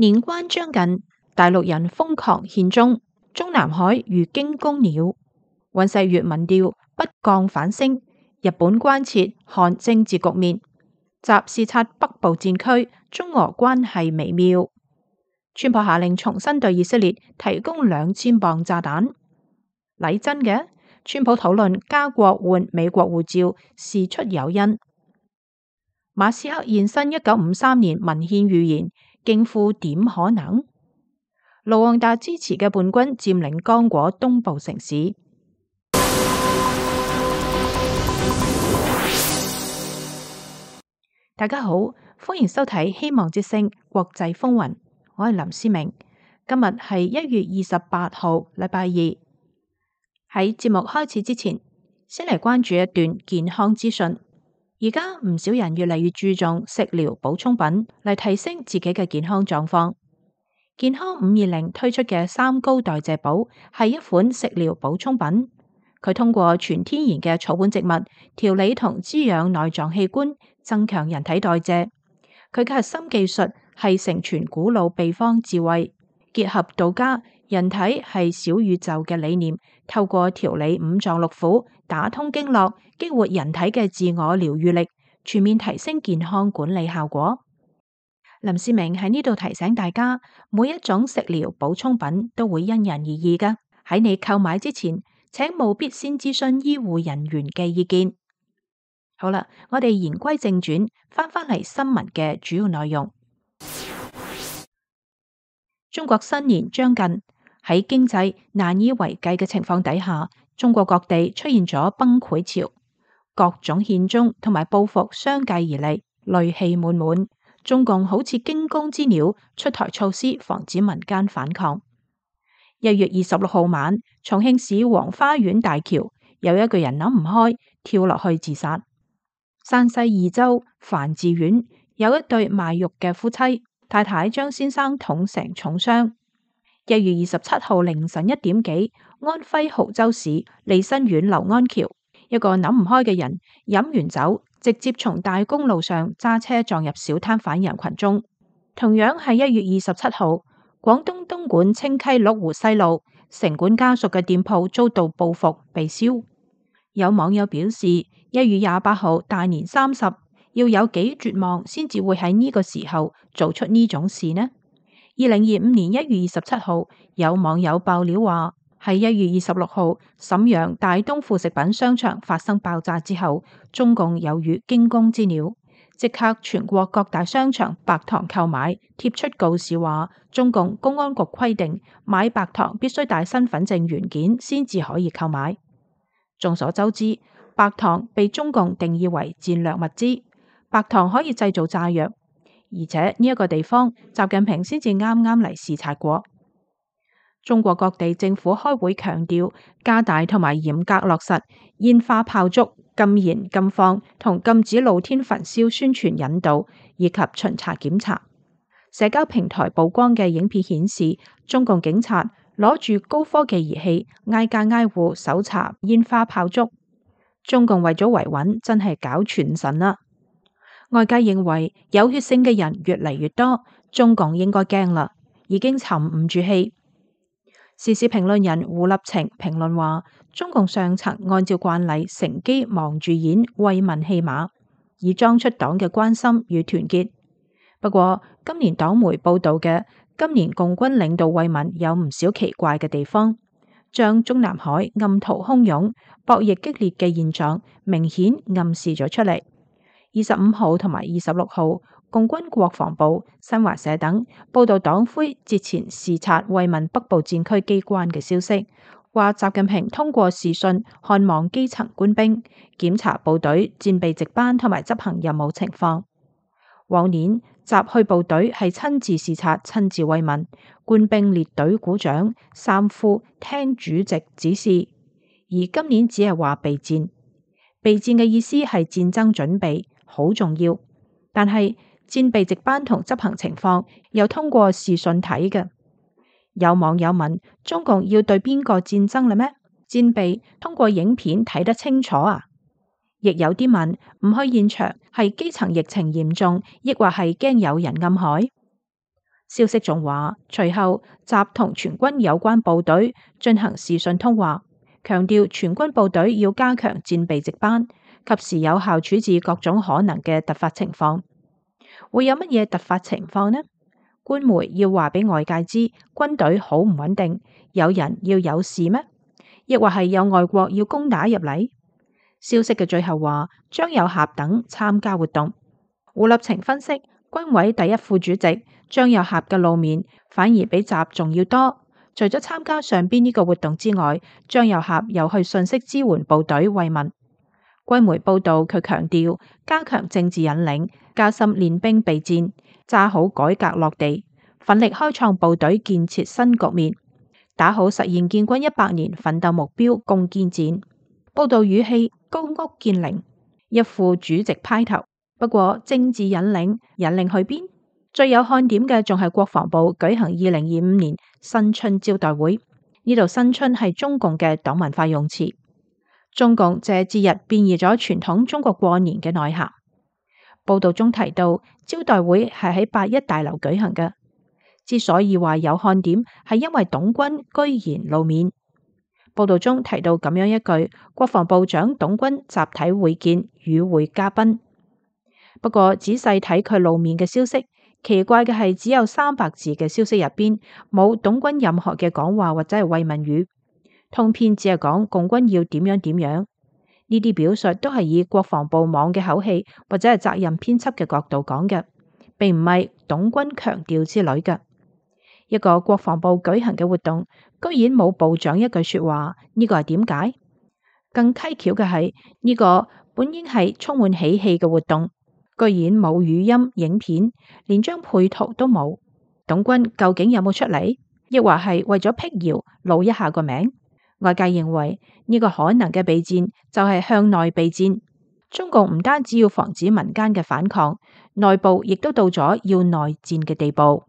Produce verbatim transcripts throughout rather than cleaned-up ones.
年關將近，大陸人瘋狂獻中，中南海如驚弓鳥。尹錫悅民調不降反升，日本關切韓政治局面。習視察北部戰區，中俄關係微妙。川普下令重新對以色列提供兩千磅炸彈。禮真嘅，川普討論加國換美國護照，事出有因。馬斯克現身一九五三年文獻預言，驚呼點可能？盧旺達支持嘅叛軍佔領剛果東部城市。大家好，歡迎收睇《希望之聲》國際風雲，我係林思明。今日係一月二十八號，禮拜二。喺節目開始之前，先嚟關注一段健康資訊。而家唔少人越嚟越注重食療補充品嚟提升自己嘅健康狀況。健康五二零推出嘅三高代謝寶係一款食療補充品，佢通過全天然嘅草本植物調理同滋養內臟器官，增強人體代謝。佢嘅核心技術係承傳古老秘方智慧，結合道家人體係小宇宙嘅理念，透過調理五臟六腑，打通經絡，激活人體嘅自我療愈力，全面提升健康管理效果。林思明喺呢度提醒大家，每一種食療補充品都會因人而異㗎。喺你購買之前，請務必先諮詢醫護人員嘅意見。好啦，我哋言歸正傳，翻返嚟新聞嘅主要內容。中國新年將近，喺經濟難以為繼嘅情況底下，中國各地出現咗崩潰潮，各種獻中同埋報復相繼而嚟，戾氣滿滿。中共好似驚弓之鳥，出台措施防止民間反抗。一月二十六號晚，重慶市黃花苑大橋有一個人諗唔開，跳落去自殺。山西弋州樊寺縣有一對賣肉嘅夫妻，太太將先生捅成重傷。一月二十七號凌晨一點幾，安徽亳州市利辛縣劉安橋，一個諗唔開嘅人飲完酒，直接從大公路上揸車撞入小攤販人群中。同樣係一月二十七號，廣東東莞清溪麓湖西路城管家屬嘅店鋪遭到報復被燒。有網友表示，一月廿八號大年三十要有幾絕望先至會喺呢個時候做出呢種事呢？二零二五年一月二十七號，有網友爆料話，喺一月二十六號瀋陽大東副食品商場發生爆炸之後，中共有如驚弓之鳥，即刻全國各大商場白糖購買貼出告示話，中共公安局規定買白糖必須帶身份證原件先至可以購買。眾所周知，白糖被中共定義為戰略物資，白糖可以製造炸藥，而且呢一個地方習近平先至啱啱嚟視察過。中國各地政府開會強調加大同埋嚴格落實煙花炮竹禁燃禁放同禁止露天焚燒宣傳引導以及巡查檢查。社交平台曝光嘅影片顯示，中共警察攞住高科技儀器挨家挨戶搜查煙花炮竹。中共為咗維穩，真係搞全神啦！外界認為有血性嘅人越嚟越多，中共應該驚啦，已經沉唔住氣。時事評論人胡立晴評論話，中共上層按照慣例乘機忙住演為民戲碼，以裝出黨嘅關心與團結。不過今年黨媒報道嘅今年共軍領導慰問有唔少奇怪嘅地方，將中南海暗途洶湧、博弈激烈嘅現狀明顯暗示咗出嚟。二十五號同埋二十六號，共軍國防部、新華社等報道黨魁節前視察慰問北部戰區機關嘅消息，話習近平通過視訊看望基層官兵，檢查部隊戰備值班同埋執行任務情況。往年習去部隊係親自視察、親自慰問，官兵列隊鼓掌，三呼聽主席指示。而今年只係話備戰，備戰嘅意思係戰爭準備好重要，但係戰備值班同執行情況又通過視訊睇嘅。有網友問：中共要對邊個戰爭啦咩？戰備通過影片睇得清楚啊？亦有啲問：唔去現場係基層疫情嚴重，抑或係驚有人暗海？消息仲話，隨後習同全軍有關部隊進行視訊通話，強調全軍部隊要加強戰備值班，及時有效處置各種可能嘅突發情況。會有乜嘢突發情況呢？官媒要話俾外界知軍隊好唔穩定，有人要有事咩？亦或係有外國要攻打入嚟？消息嘅最後話將有俠等參加活動。胡立晴分析，軍委第一副主席張有俠嘅露面反而比習仲要多。除咗參加上邊呢個活動之外，張有俠又去信息支援部隊慰問。軍媒報道佢強調加強政治引領，加深練兵備戰，揸好改革落地，奮力開創部隊建設新局面，打好實現建軍一百年奮鬥目標攻堅戰。報道語氣高屋建瓴，一副主席派頭。不過政治引領引領去邊？最有看點嘅仲係國防部舉行二零二五年新春招待會。呢度新春係中共嘅黨文化用詞，中共借節日變異咗傳統中國過年嘅內涵。報道中提到招待會係喺八一大樓舉行嘅。之所以話有看點，係因為董軍居然露面。報道中提到咁樣一句：國防部長董軍集體會見與會嘉賓。不過仔細睇佢露面嘅消息，奇怪嘅係只有三百字嘅消息入邊冇董軍任何嘅講話或者係慰問語，通篇只係講共軍要點樣點樣。呢啲表述都係以國防部網嘅口氣或者係責任編輯嘅角度講嘅，並唔係董軍強調之類嘅。一個國防部舉行嘅活動，居然冇部長一句說話，呢個係點解？更蹊蹺嘅係呢個本應係充滿喜氣嘅活動，居然冇語音影片，連張配圖都冇。董軍究竟有冇出嚟？亦或係為咗辟謠露一下個名？外界認為呢個可能嘅備戰就係向內備戰。中共唔單止要防止民間嘅反抗，內部亦都到咗要內戰嘅地步。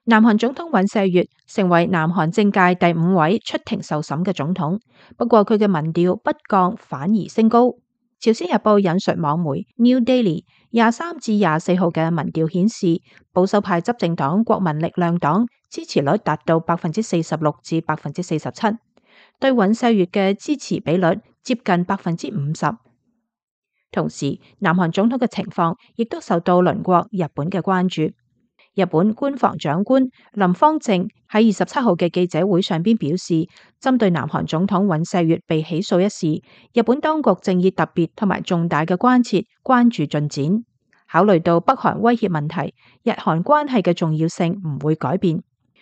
南韓總統尹錫悅成為南韓政界第五位出庭受審嘅總統，不過佢嘅民調不降反而升高。朝鮮日報引述網媒 New Daily 廿三至廿四號嘅民調顯示，保守派執政黨國民力量黨支持率達到百分之四十六至百分之四十七，對尹錫悅嘅支持比率接近百分之五十。同時，南韓總統嘅情況亦都受到鄰國日本嘅關注。日本官房長官林芳正喺二十七號嘅記者會上邊表示，針對南韓總統尹錫悅被起訴一事，日本當局正以特別同埋重大嘅關切關注進展。考慮到北韓威脅問題，日韓關係嘅重要性唔會改變。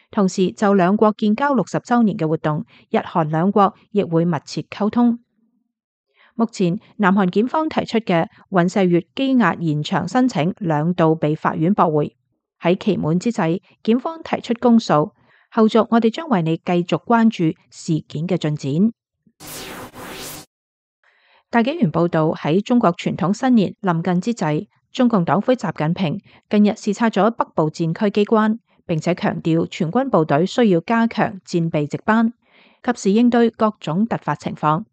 同時，就兩國建交六十週年嘅活動，日韓兩國亦會密切溝通。目前，南韓檢方提出嘅尹錫悅羈押延長申請兩度被法院駁回。喺期滿之際，檢方提出公訴，後續我哋將為你繼續關注事件嘅進展。大紀元報道，喺中國傳統新年臨近之際，中共黨魁習近平近日視察咗北部戰區機關，並且強調全軍部隊需要加強戰備值班，及時應對各種突發情況。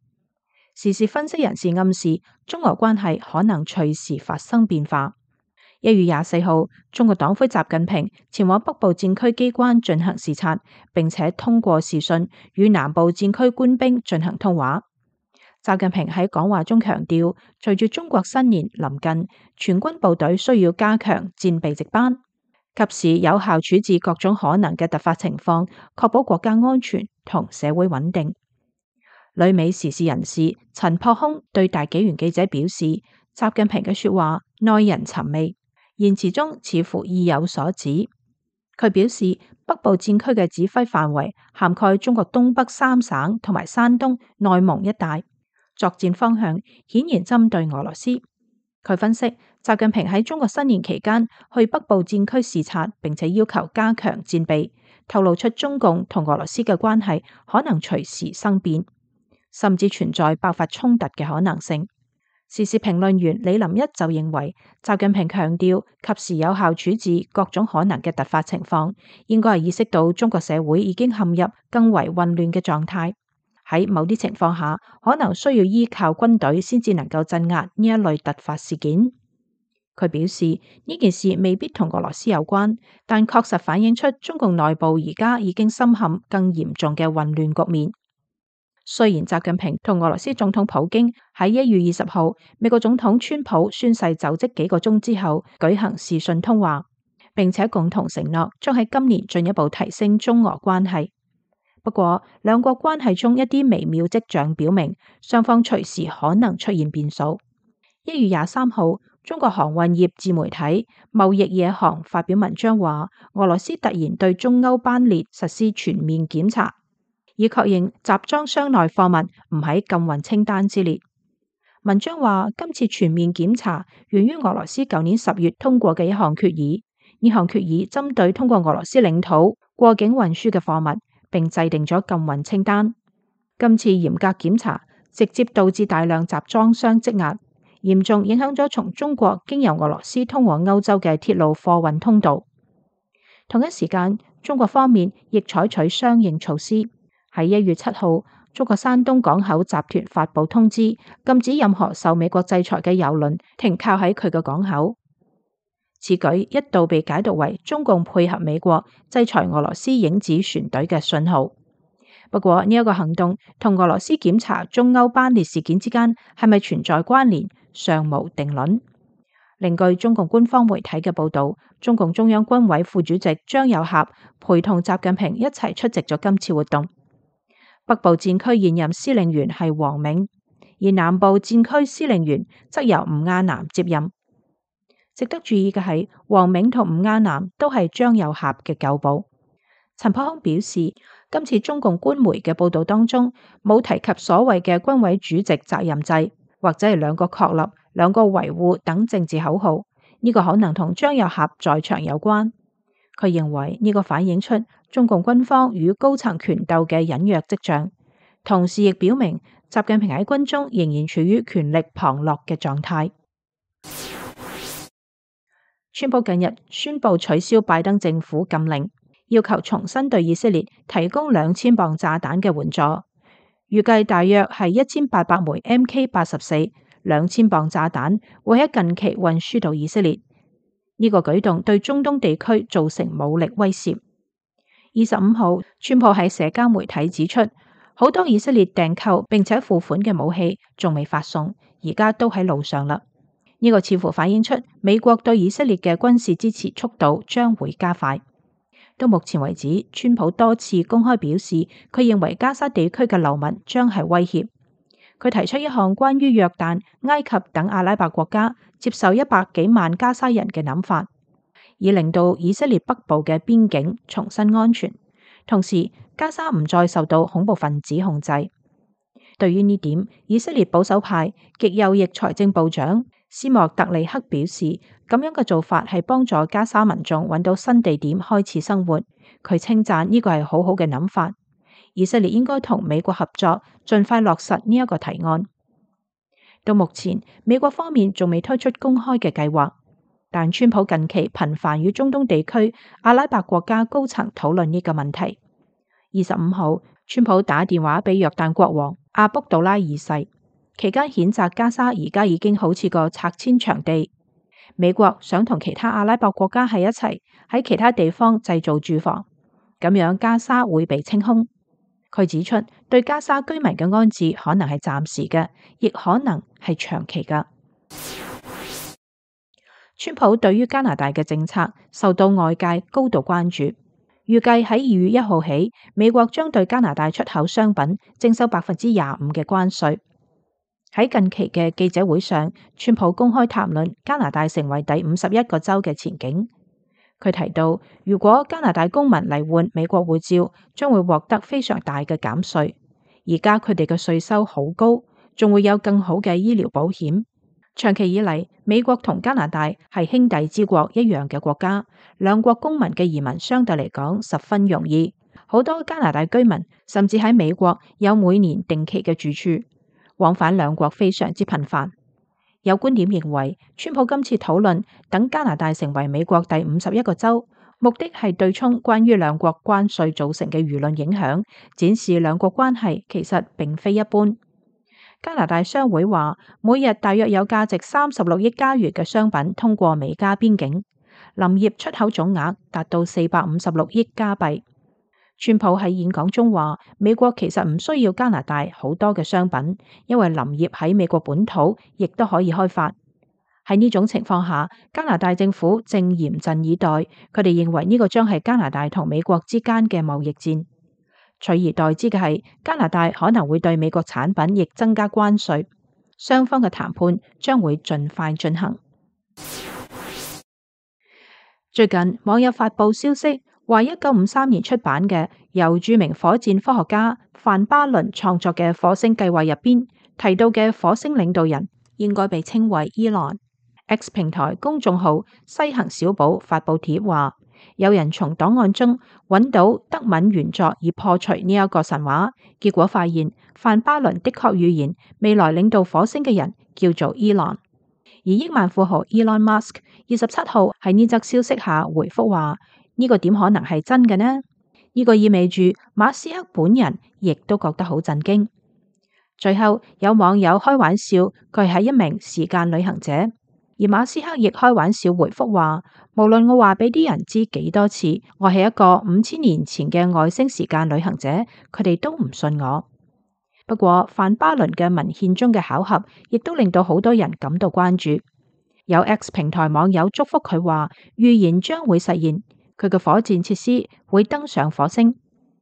時事分析人士暗示，中俄關係可能隨時發生變化。一月廿四號，中國黨魁習近平前往北部戰區機關進行視察，並且通過視訊與南部戰區官兵進行通話。習近平喺講話中強調，隨住中國新年臨近，全軍部隊需要加強戰備值班，及時有效處置各種可能嘅突發情況，確保國家安全同社會穩定。旅美時事人士陳樸空對大紀元記者表示，習近平嘅說話耐人尋味，言辭中似乎意有所指。佢表示，北部戰區嘅指揮範圍涵蓋中國東北三省同埋山東、內蒙一帶，作戰方向顯然針對俄羅斯。佢分析，習近平喺中國新年期間去北部戰區視察，並且要求加強戰備，透露出中共同俄羅斯嘅關係可能隨時生變，甚至存在爆發衝突嘅可能性。時事評論員李林一就認為，習近平強調及時有效處置各種可能嘅突發情況，應該係意識到中國社會已經陷入更為混亂嘅狀態，喺某啲情況下，可能需要依靠軍隊先至能夠鎮壓呢一類突發事件。佢表示呢件事未必同俄羅斯有關，但確實反映出中共內部而家已經深陷更嚴重嘅混亂局面。雖然習近平同俄羅斯總統普京喺一月二十號美國總統川普宣誓就職幾個鐘之後舉行視訊通話，並且共同承諾將喺今年進一步提升中俄關係。不過，兩國關係中一啲微妙跡象表明，雙方隨時可能出現變數。一月廿三號，中國航運業自媒體貿易野航發表文章話，俄羅斯突然對中歐班列實施全面檢查，以確認集裝箱內貨物唔喺禁運清單之列。文章話，今次全面檢查源於俄羅斯舊年十月通過嘅一項決議，呢項決議針對通過俄羅斯領土過境運輸嘅貨物，並制定咗禁運清單。今次嚴格檢查直接導致大量集裝箱積壓，嚴重影響咗從中國經由俄羅斯通往歐洲嘅鐵路貨運通道。同一時間，中國方面亦採取相應措施。喺一月七號，中國山東港口集團發布通知，禁止任何受美國制裁嘅郵輪停靠喺佢嘅港口。此舉一度被解讀為中共配合美國制裁俄羅斯影子船隊嘅信號。不過呢一個行動同俄羅斯檢查中歐班列事件之間係咪存在關聯，尚無定論。另據中共官方媒體嘅報道，中共中央軍委副主席張又俠陪同習近平一齊出席咗今次活動。北部戰區現任司令員係王銘，而南部戰區司令員則由吳亞南接任。值得注意嘅係，王銘同吳亞南都係張又俠嘅舊部。陳柏空表示，今次中共官媒嘅報道當中冇提及所謂嘅軍委主席責任制，或者係兩個確立、兩個維護等政治口號，呢、這個可能同張又俠在場有關。佢認為呢、這個反映出中共軍方與高層權鬥嘅隱約跡象，同時亦表明習近平喺軍中仍然處於權力旁落嘅狀態。川普近日宣布取消拜登政府禁令，要求重新對以色列提供兩千磅炸彈嘅援助，預計大約係一千八百枚 M K 八十四，兩千磅炸彈會喺近期運輸到以色列。呢、這個舉動對中東地區造成武力威懾。二十五號，川普喺社交媒體指出，好多以色列訂購並且付款嘅武器仲未發送，而家都喺路上啦。呢個似乎反映出美國對以色列嘅軍事支持速度將會加快。到目前為止，川普多次公開表示，佢認為加沙地區嘅流民將係威脅。佢提出一項關於約旦、埃及等阿拉伯國家接受一百幾萬加沙人嘅諗法，以令到以色列北部嘅邊境重新安全，同時加沙唔再受到恐怖分子控制。對於呢點，以色列保守派極右翼財政部長斯莫特利克表示，咁樣嘅做法係幫助加沙民眾揾到新地點開始生活。佢稱讚呢個係好好嘅諗法，以色列應該同美國合作，盡快落實呢一個提案。到目前，美國方面仲未推出公開嘅計劃，但川普近期頻繁與中東地區阿拉伯國家高層討論呢個問題。二十五號，川普打電話俾約旦國王阿卜杜拉二世，期間譴責加沙而家已經好似個拆遷場地，美國想同其他阿拉伯國家喺一齊喺其他地方製造住房，咁樣加沙會被清空。佢指出，對加沙居民嘅安置可能係暫時嘅，亦可能係長期嘅。川普對於加拿大嘅政策受到外界高度關注，預計喺二月一號起，美國將對加拿大出口商品徵收百分之廿五嘅關稅。喺近期嘅記者會上，川普公開談論加拿大成為第五十一個州嘅前景。佢提到，如果加拿大公民嚟換美國護照，將會獲得非常大嘅減稅。而家佢哋嘅稅收好高，仲會有更好嘅醫療保險。長期以嚟，美國同加拿大係兄弟之國一樣嘅國家，兩國公民嘅移民相對嚟講十分容易。好多加拿大居民甚至喺美國有每年定期嘅住處，往返兩國非常之頻繁。有觀點認為，川普今次討論等加拿大成為美國第五十一個州，目的係對沖關於兩國關稅造成嘅輿論影響，展示兩國關係其實並非一般。加拿大商會話，每日大約有價值三十六億加元嘅商品通過美加邊境，林業出口總額達到四百五十六億加幣。川普喺演講中話，美國其實唔需要加拿大好多嘅商品，因為林業喺美國本土亦都可以開發。喺呢種情況下，加拿大政府正嚴陣以待，佢哋認為呢個將係加拿大同美國之間嘅貿易戰。取而代之嘅係，加拿大可能會對美國產品亦增加關稅，雙方嘅談判將會盡快進行。最近網友發佈消息，話一九五三年出版嘅由著名火箭科學家范巴倫創作嘅火星計劃入邊提到嘅火星領導人應該被稱為伊朗。X 平台公眾號西行小寶發佈帖話，有人從檔案中揾到德文原作以破除呢一個神話，結果發現范巴倫的確預言未來領導火星嘅人叫做伊朗。而億萬富豪 Elon Musk 二十七號喺呢則消息下回覆話，呢個點可能係真嘅呢？呢個意味住馬斯克本人亦都覺得好震驚。最後有網友開玩笑，佢係一名時間旅行者。而馬斯克亦開玩笑回覆話，無論我話俾啲人知幾多次，我係一個五千年前嘅外星時間旅行者，佢哋都唔信我。不過范巴倫嘅文獻中嘅巧合，亦都令到好多人感到關注。有 X 平台網友祝福佢話，預言將會實現，佢嘅火箭設施會登上火星。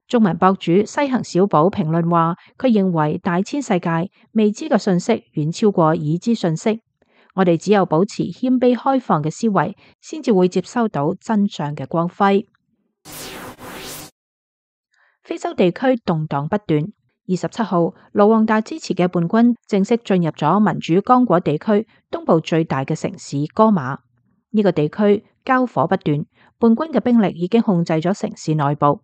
中文博主西行小寶評論話，佢認為大千世界未知嘅信息遠超過已知信息。我哋只有保持謙卑開放嘅思維，先至會接收到真相嘅光輝。非洲地區動盪不斷。二十七號，盧旺達支持嘅叛軍正式進入咗民主剛果地區東部最大嘅城市戈馬。呢個地區交火不斷，叛軍嘅兵力已經控制咗城市內部。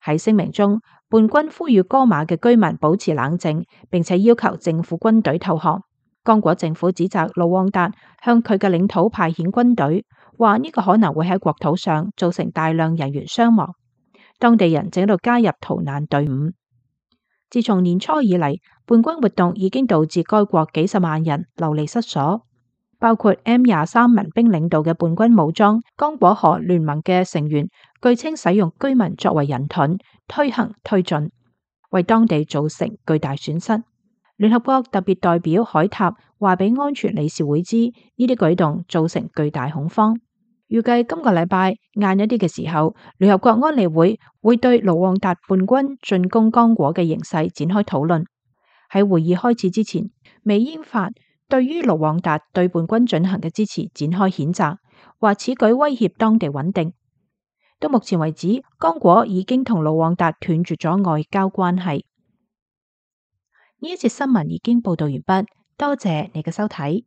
喺聲明中，叛軍呼籲戈馬嘅居民保持冷靜，並且要求政府軍隊投降。剛果政府指責盧旺達向佢嘅領土派遣軍隊，話呢個可能會喺國土上造成大量人員傷亡。當地人正喺度加入逃難隊伍。自從年初以嚟，叛軍活動已經導致該國幾十萬人流離失所，包括 M 廿三民兵領導嘅叛軍武裝剛果河聯盟嘅成員，據稱使用居民作為人盾，推行推進，為當地造成巨大損失。聯合國特別代表海塔話俾安全理事會知，呢啲舉動造成巨大恐慌。預計今個禮拜晏一啲嘅時候，聯合國安理會會對盧旺達叛軍進攻剛果嘅形勢展開討論。喺會議開始之前，美英法對於盧旺達對叛軍進行嘅支持展開譴責，話此舉威脅當地穩定。到目前為止，剛果已經同盧旺達斷絕咗外交關係。呢一節新聞已經報道完畢，多謝你嘅收睇。